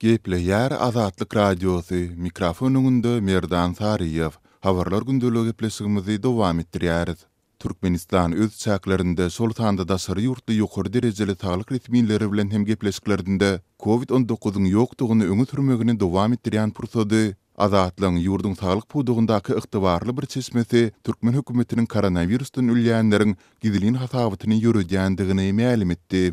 Gepleýär Azatlyk Radiosy, mikrofon öňünde Merdan Saryýew. Habarlar gündeligi gepleşigimizi dowam etdirýäris. Türkmenistan öz çäklerinde, şol sanda daşary ýurtly ýokary derejeli saglyk resmileri bilen hem gepleşiklerinde Covid 19-yň ýokdugyny öňe sürmegini dowam etdirýän pursady, Azatlygyň ýurduň saglyk pudagyndaky ygtybarly bir çeşmesi türkmen hökümetiniň koronawirusdan ölýänleriň gizlin hasabatyny ýöredýändigini mälim etdi.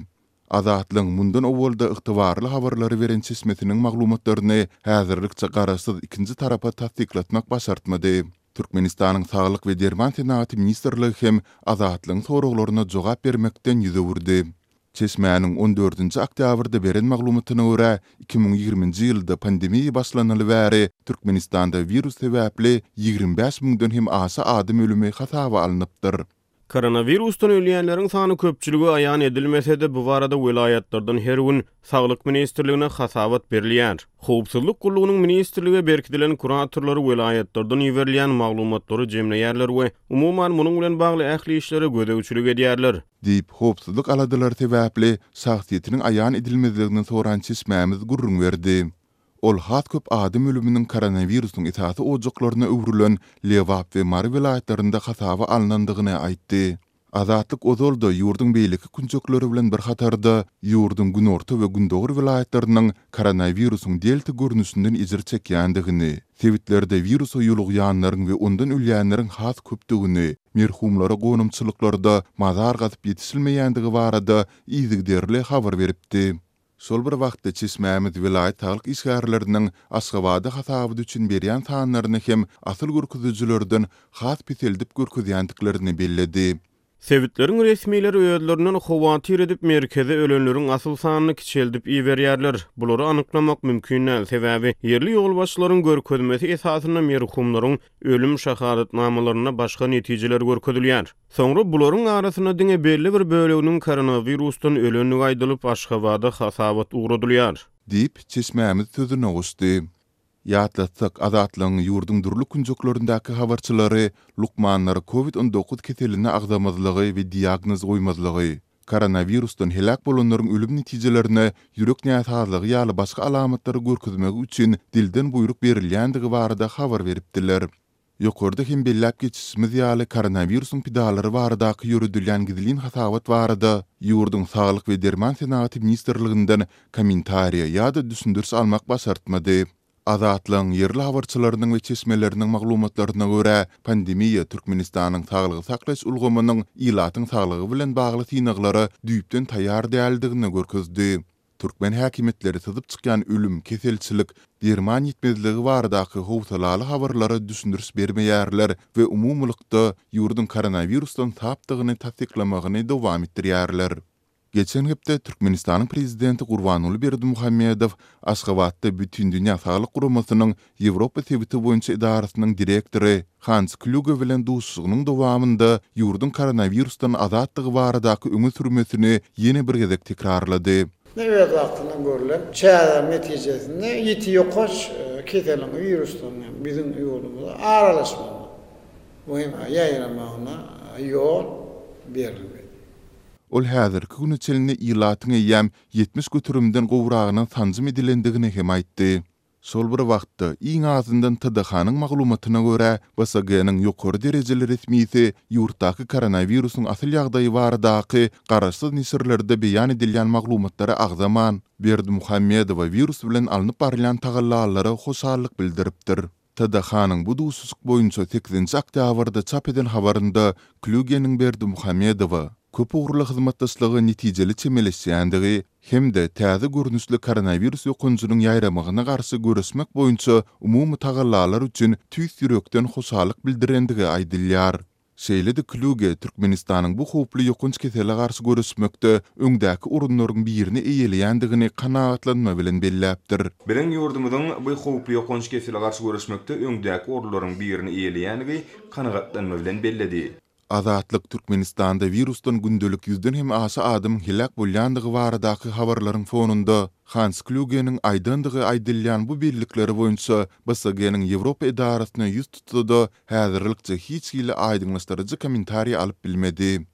Azatlygyň mundan owal-da ygtybarly habarlary beren çeşmesiniň maglumatlaryny häzirlikçe garaşsyz ikinji tarapa tassyklatmak başartmady. Türkmenistanyň Saglyk we derman senagaty ministrligi hem Azatlygyň soraglaryna jogap bermekden ýüz öwürdi. Çeşmäniň on dördünji oktýabrda beren maglumatyna görä, 2020-nji ýylda pandemiýa başlanaly bäri Türkmenistanda wirus sebäpli 25 müňden hem aşa adam ölümi hasaba alnypdyr. Koronawirusdan ölýänleriň sany köpçülige aýan edilmese-de, bu barada welaýatlardan her gün Saglyk ministrligine hasabat berilýär. Howpsuzlyk gullugynyň ministrlige berkidilen kuratorlary welaýatlardan iberilýän maglumatlary jemleýärler we umuman munuň bilen bagly ähli işlere gözegçilik edýärler. Diýip, howpsuzlyk aladalary sebäpli şahsyýetiniň aýan edilmezligini soran çeşmämiz gürrüň berdi. Ol has köp adam ölüminiň koronawirusyň esasy ojaklaryna öwrülen Lebap we Mary welaýatlarynda hasaba alnandygyny aýtdy. Azatlyk ozal-da ýurduň beýleki künjekleri bilen bir hatarda, ýurduň günorta we gündogar welaýatlarynyň koronawirusyň delta görnüşinden ejir çekýändigini, sebitlerde wirusa ýolugýanlaryň we ondan ölýänleriň has köpdügini, merhumlara gonamçylyklarda mazar gazyp ýetişilmeýändigi barada yzygiderli habar beripdi. Şol bir wagtda, çeşmämiz welaýat saglyk işgärleriniň Aşgabada hasabat üçin berýän sanlaryny hem asyl görkezijilerden has peseldip görkezýändiklerini belledi. Sebitleriň resmileri özlerinden howatyr edip, merkeze ölenleriň asyl sanyny kiçeldip iberýärler. Bulary anyklamak mümkin däl, sebäbi ýerli ýolbaşçylaryň görkezmesi esasynda merhumlaryň ölüm şahadatnamalarynda başga netijeler görkezilýär. Soňra bularyň arasynda diňe belli bir böleginiň koronawirusdan ölendigi aýdylyp, Aşgabada hasabat ugradylýar. Diýip, çeşmämiz sözüne goşdy. Ýatlatsak, Azatlygyň ýurduň dürli künjeklerindäki habarçylary lukmanlara Covid 19 keselini agzamazlygy we diagnoz goýmazlygy, koronawirusdan heläk bolanlaryň ölüm netijelerine ýürek näsazlygy ýaly başga alamatlary görkezmegi üçin dilden buýruk berilýändigi barada habar beripdiler. Ýokarda hem belläp geçişimiz ýaly, koronawirusyň pidalary baradaky ýöredilýän gizlin hasabat barada ýurduň Saglyk we derman senagaty ministrliginden kommentariýa ýa-da düşündiriş almak başartmady. Azatlygyň ýerli habarçylarynyň we çeşmeleriniň maglumatlaryna görä, pandemiýa Türkmenistanyň saglygy saklaýyş ulgamynyň ilatyň saglygy bilen bagly synaglara düýpden taýýar däldigini görkezdi. Türkmen häkimiýetleri syzyp çykýan ölüm, keselçilik, derman ýetmezligi baradaky howsalaly habarlara düşündiriş bermeýärler we umumylykda ýurduň koronawirusdan sapdygyny tassyklamagyny dowam etdirýärler. Geçen hepde Türkmenistanyň prezidenti Gurbanguly Berdimuhamedow Aşgabatda Bütindünýä saglyk guramasynyň Ýewropa sebiti boýunça edarasynyň direktory Hans Klýuge bilen duşuşygynyň dowamynda ýurduň koronawirusdan azatdygy baradaky öňe sürmesini ýene bir gezek tekrarlady. Ne öz wagtynda görlen çäreleriň netijesinde ýiti ýokanç keseliň, wirusyň hem biziň ýurdumyza aralaşmagyna we hem ýaýramagyna ýol berilmedi. Ol häzirki güne çenli ilatyň eýýäm 70 göterimden gowragyna sanjym edilendigini hem aýtdy. Şol bir wagtda, iň azyndan TDH-nyň maglumatyna görä, BSG-niň ýokary derejeli resmisi ýurtdaky koronawirusyň asyl ýagdaýy baradaky garaşsyz neşirlerde beýan edilýän maglumatlary agzaman, Berdimuhamedowa wirus bilen alnyp barylýan tagallalara hoşallyk bildiripdir. TDH-nyň bu duşuşyk boýunça sekizinji oktýabrda çap eden habarynda Klýugeniň Berdimuhamedowa köpugurly hyzmatdaşlyga netijeli çemeleşýändigi hem-de täze görnüşli koronawirus ýokanjynyň ýaýramagyna garşy göreşmek boýunça umumy tagallalar üçin tüýs ýürekden hoşallyk bildirendigi aýdylýar. Şeýle-de Klýuge Türkmenistanyň bu howply ýokanç kesele garşy göreşmekde öňdäki orunlaryň birini eýeleýändigini kanagatlanma bilen belläpdir. Biziň ýurdumyzyň bu howply ýokanç kesele garşy göreşmekde öňdäki orunlaryň birini eýeleýändigi kanagatlanma bilen belledi. Azatlyk Türkmenistanda wirusdan gündelik ýüzden hem aşa adamyň heläk bolýandygy baradaky habarlaryň fonunda Hans Klýugeniň aýdandygy aýdylýan bu bellikleri boýunça BSG-niň Ýewropa edarasyna ýüz tutsa-da, häzirlikçe hiç hili aýdyňlaşdyryjy kommentariý alyp bilmedi.